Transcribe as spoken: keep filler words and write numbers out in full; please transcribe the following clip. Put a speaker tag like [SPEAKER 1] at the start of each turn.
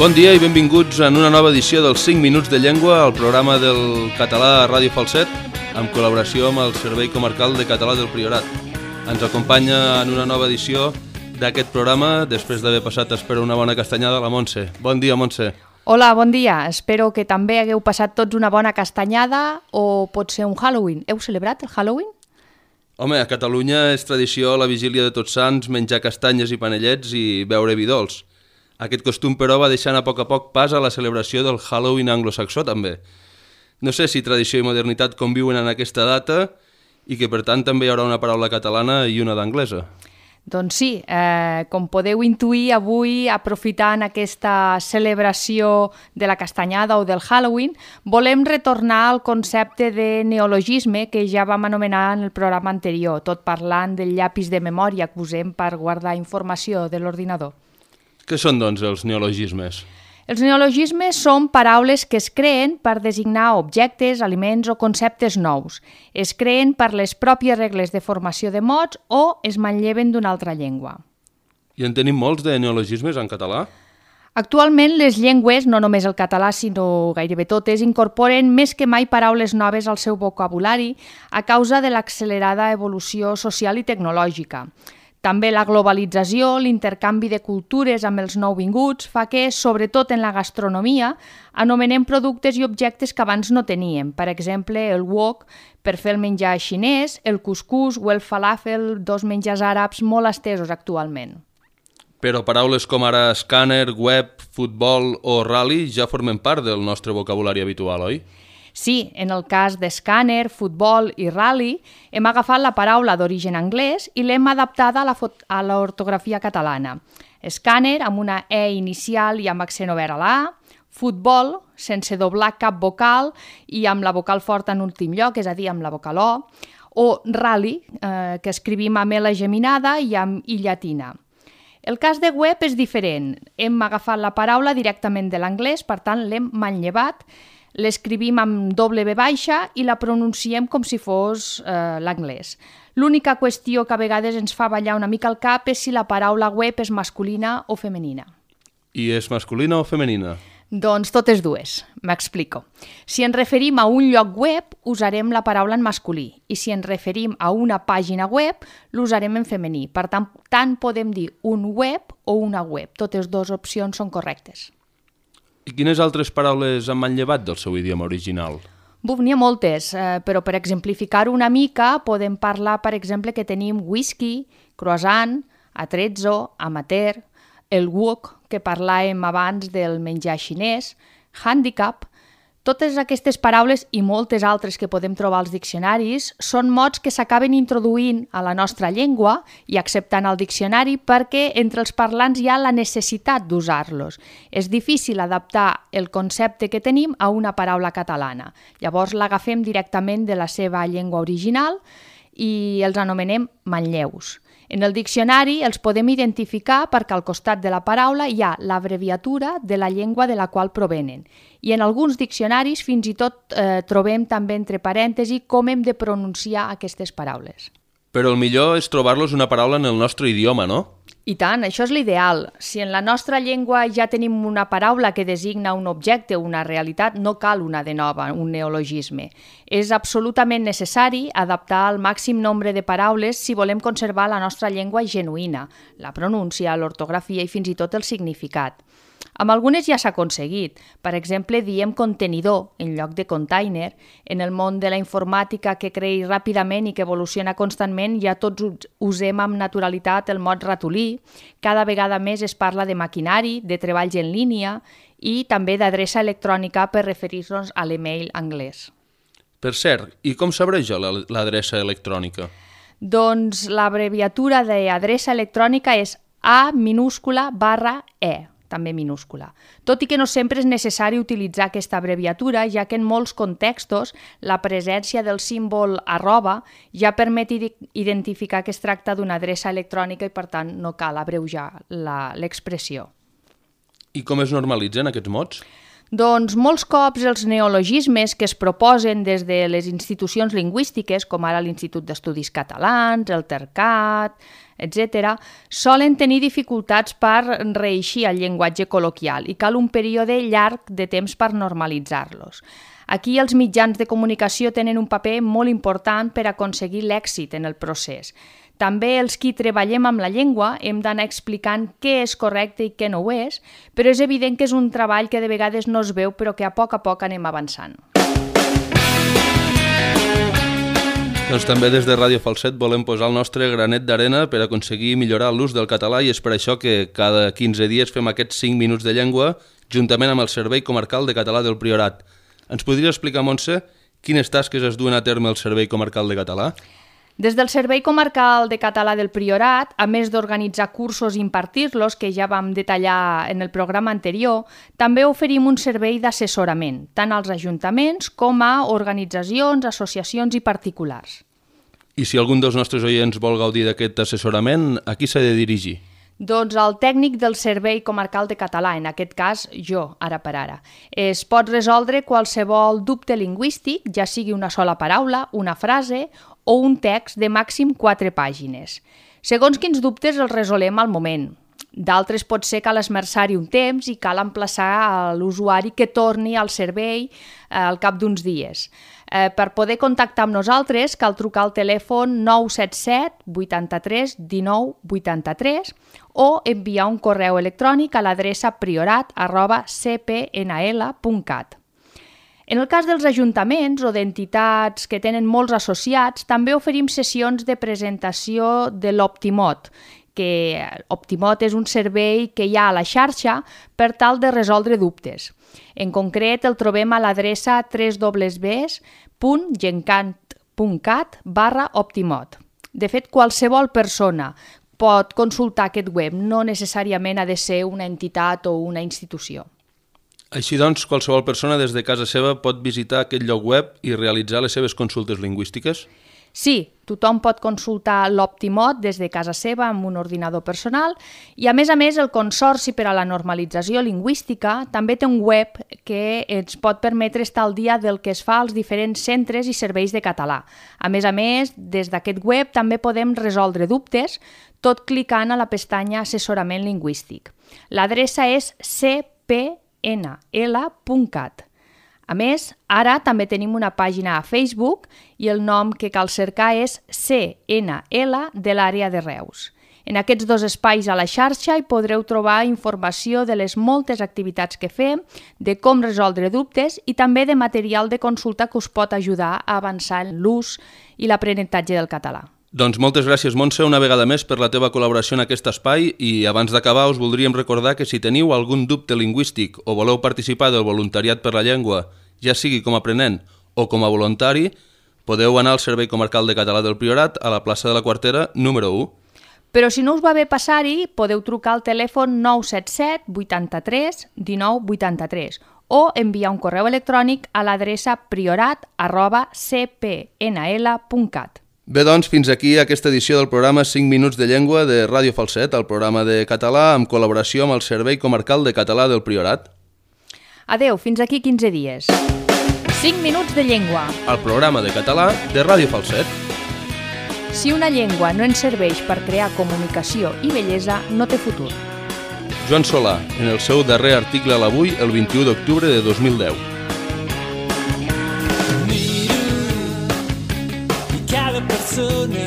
[SPEAKER 1] Bon dia i benvinguts en una nova edició dels cinc minuts de llengua, el programa del català a Ràdio Falset, amb col·laboració amb el Servei Comarcal de Català del Priorat. Ens acompanya en una nova edició d'aquest programa, després d'haver passat, espero, una bona castanyada, la Montse. Bon dia, Montse.
[SPEAKER 2] Hola, bon dia. Espero que també hagueu passat tots una bona castanyada o pot ser un Halloween. Heu celebrat el Halloween?
[SPEAKER 1] Home, a Catalunya és tradició a la vigília de Tots Sants menjar castanyes i panellets i beure vi dolç. Aquest costum, però, va deixant a poc a poc pas a la celebració del Halloween anglosaxó, també. No sé si tradició i modernitat conviuen en aquesta data i que, per tant, també hi haurà una paraula catalana i una d'anglesa.
[SPEAKER 2] Doncs sí, eh, com podeu intuir, avui, aprofitant aquesta celebració de la castanyada o del Halloween, volem retornar al concepte de neologisme que ja vam anomenar en el programa anterior, tot parlant del llapis de memòria que usem per guardar informació de l'ordinador.
[SPEAKER 1] Què són, doncs, els neologismes?
[SPEAKER 2] Els neologismes són paraules que es creen per designar objectes, aliments o conceptes nous. Es creen per les pròpies regles de formació de mots o es manlleven d'una altra llengua.
[SPEAKER 1] I en tenim molts de neologismes en català?
[SPEAKER 2] Actualment, les llengües, no només el català, sinó gairebé totes, incorporen més que mai paraules noves al seu vocabulari a causa de l'accelerada evolució social i tecnològica. També la globalització, l'intercanvi de cultures amb els nouvinguts, fa que, sobretot en la gastronomia, anomenem productes i objectes que abans no teníem. Per exemple, el wok per fer el menjar xinès, el cuscús o el falafel, dos menjars àrabs molt estesos actualment.
[SPEAKER 1] Però paraules com ara escàner, web, futbol o rally ja formen part del nostre vocabulari habitual, oi?
[SPEAKER 2] Sí, en el cas d'escàner, futbol i rally, hem agafat la paraula d'origen anglès i l'hem adaptada a l'ortografia catalana. Escàner amb una E inicial i amb accent obert a la A, futbol sense doblar cap vocal i amb la vocal forta en últim lloc, és a dir, amb la vocal O, o rally, eh, que escrivim amb L geminada i amb I llatina. El cas de web és diferent. Hem agafat la paraula directament de l'anglès, per tant l'hem manllevat, l'escrivim amb doble V baixa i la pronunciem com si fos eh, l'anglès. L'única qüestió que a vegades ens fa ballar una mica el cap és si la paraula web és masculina o femenina.
[SPEAKER 1] I és masculina o femenina?
[SPEAKER 2] Doncs totes dues. M'explico. Si ens referim a un lloc web, usarem la paraula en masculí, i si ens referim a una pàgina web, l'usarem en femení. Per tant, tant podem dir un web o una web. Totes dues opcions són correctes.
[SPEAKER 1] I quines altres paraules han manllevat del seu idioma original?
[SPEAKER 2] Buf, n'hi ha moltes, eh, però per exemplificar-ho una mica podem parlar, per exemple, que tenim whisky, croissant, atrezzo, amateur, el wok, que parlàvem abans del menjar xinès, handicap. Totes aquestes paraules i moltes altres que podem trobar als diccionaris són mots que s'acaben introduint a la nostra llengua i acceptant el diccionari perquè entre els parlants hi ha la necessitat d'usar-los. És difícil adaptar el concepte que tenim a una paraula catalana. Llavors l'agafem directament de la seva llengua original i els anomenem manlleus. En el diccionari els podem identificar perquè al costat de la paraula hi ha l'abreviatura de la llengua de la qual provenen. I en alguns diccionaris fins i tot eh, trobem també entre parèntesi com hem de pronunciar aquestes paraules.
[SPEAKER 1] Però el millor és trobar-los una paraula en el nostre idioma, no?
[SPEAKER 2] I tant, això és l'ideal. Si en la nostra llengua ja tenim una paraula que designa un objecte o una realitat, no cal una de nova, un neologisme. És absolutament necessari adaptar el màxim nombre de paraules si volem conservar la nostra llengua genuïna, la pronúncia, l'ortografia i fins i tot el significat. Amb algunes ja s'ha aconseguit. Per exemple, diem contenidor en lloc de container. En el món de la informàtica que creix ràpidament i que evoluciona constantment, ja tots usem amb naturalitat el mot ratolí. Cada vegada més es parla de maquinari, de treballs en línia i també d'adreça electrònica per referir-nos a l'email anglès.
[SPEAKER 1] Per cert, i com s'abreja l'adreça electrònica?
[SPEAKER 2] Doncs l'abreviatura d'adreça electrònica és A minúscula barra E. també minúscula. Tot i que no sempre és necessari utilitzar aquesta abreviatura, ja que en molts contextos la presència del símbol arroba ja permet identificar que es tracta d'una adreça electrònica i per tant no cal abreujar l'expressió.
[SPEAKER 1] I com es normalitzen aquests mots?
[SPEAKER 2] Doncs molts cops els neologismes que es proposen des de les institucions lingüístiques, com ara l'Institut d'Estudis Catalans, el Tercat, etcètera, solen tenir dificultats per reeixir el llenguatge col·loquial i cal un període llarg de temps per normalitzar-los. Aquí els mitjans de comunicació tenen un paper molt important per aconseguir l'èxit en el procés. També els qui treballem amb la llengua hem d'anar explicant què és correcte i què no ho és, però és evident que és un treball que de vegades no es veu però que a poc a poc anem avançant.
[SPEAKER 1] Doncs també des de Ràdio Falset volem posar el nostre granet d'arena per aconseguir millorar l'ús del català i és per això que cada quinze dies fem aquests cinc minuts de llengua juntament amb el Servei Comarcal de Català del Priorat. Ens podria explicar, Montse, quines tasques es duen a terme el Servei Comarcal de Català?
[SPEAKER 2] Des del Servei Comarcal de Català del Priorat, a més d'organitzar cursos i impartir-los, que ja vam detallar en el programa anterior, també oferim un servei d'assessorament, tant als ajuntaments com a organitzacions, associacions i particulars.
[SPEAKER 1] I si algun dels nostres oients vol gaudir d'aquest assessorament, a qui s'ha de dirigir?
[SPEAKER 2] Doncs el tècnic del Servei Comarcal de Català, en aquest cas jo, ara per ara. Es pot resoldre qualsevol dubte lingüístic, ja sigui una sola paraula, una frase o un text de màxim quatre pàgines. Segons quins dubtes els resolem al moment. D'altres pot ser cal esmerçar-hi un temps i cal emplaçar a l'usuari que torni al servei al cap d'uns dies. Eh, per poder contactar amb nosaltres cal trucar al telèfon nou set set vuitanta-tres dinou vuitanta-tres o enviar un correu electrònic a l'adreça priorat arroba c p n l punt cat. En el cas dels ajuntaments o d'entitats que tenen molts associats, també oferim sessions de presentació de l'Optimot, que Optimot és un servei que hi ha a la xarxa per tal de resoldre dubtes. En concret, el trobem a l'adreça w w w punt gencant punt cat barra Optimot. De fet, qualsevol persona pot consultar aquest web, no necessàriament ha de ser una entitat o una institució.
[SPEAKER 1] Així doncs, qualsevol persona des de casa seva pot visitar aquest lloc web i realitzar les seves consultes lingüístiques?
[SPEAKER 2] Sí, tothom pot consultar l'Optimot des de casa seva amb un ordinador personal i, a més a més, el Consorci per a la Normalització Lingüística també té un web que ens pot permetre estar al dia del que es fa als diferents centres i serveis de català. A més a més, des d'aquest web també podem resoldre dubtes tot clicant a la pestanya Assessorament Lingüístic. L'adreça és c p n l punt cat. A més, ara també tenim una pàgina a Facebook i el nom que cal cercar és C N L de l'àrea de Reus. En aquests dos espais a la xarxa hi podreu trobar informació de les moltes activitats que fem, de com resoldre dubtes i també de material de consulta que us pot ajudar a avançar en l'ús i l'aprenentatge del català.
[SPEAKER 1] Doncs moltes gràcies, Montse, una vegada més per la teva col·laboració en aquest espai i abans d'acabar us voldríem recordar que si teniu algun dubte lingüístic o voleu participar del voluntariat per la llengua, ja sigui com a aprenent o com a voluntari, podeu anar al Servei Comarcal de Català del Priorat a la plaça de la Quartera número u.
[SPEAKER 2] Però si no us va bé passar-hi, podeu trucar al telèfon nou set set vuitanta-tres dinou vuitanta-tres o enviar un correu electrònic a l'adreça priorat arroba c p n l punt cat.
[SPEAKER 1] Bé, doncs, fins aquí aquesta edició del programa cinc minuts de llengua de Ràdio Falset, el programa de català amb col·laboració amb el Servei Comarcal de Català del Priorat.
[SPEAKER 2] Adeu, fins aquí quinze dies. cinc minuts de llengua.
[SPEAKER 1] El programa de català de Ràdio Falset.
[SPEAKER 2] Si una llengua no ens serveix per crear comunicació i bellesa, no té futur.
[SPEAKER 1] Joan Solà, en el seu darrer article a l'Avui, el vint-i-u d'octubre de dos mil deu.
[SPEAKER 3] Miro i cada persona